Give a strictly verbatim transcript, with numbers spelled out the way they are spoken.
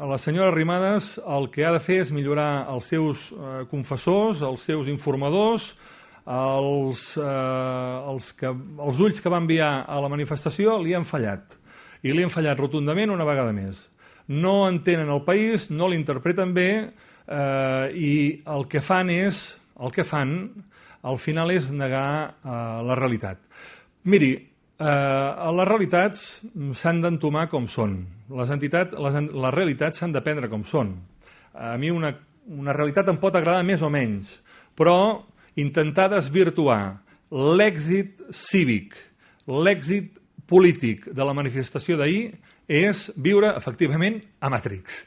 la senyora Arrimadas el que ha de fer és millorar els seus eh, confessors, els seus informadors, els, eh, els, que, els ulls que va enviar a la manifestació li han fallat. I li han fallat rotundament una vegada més. No entenen el país, no l'interpreten bé eh, i el que fan és, el que fan, al final és negar eh, la realitat. Miri, eh, les realitats s'han d'entomar com són. Les entitats, les, les realitats s'han de prendre com són. A mi una, una realitat em pot agradar més o menys, però intentar desvirtuar l'èxit cívic, l'èxit polític de la manifestació d'ahir és viure, efectivament, a Matrix.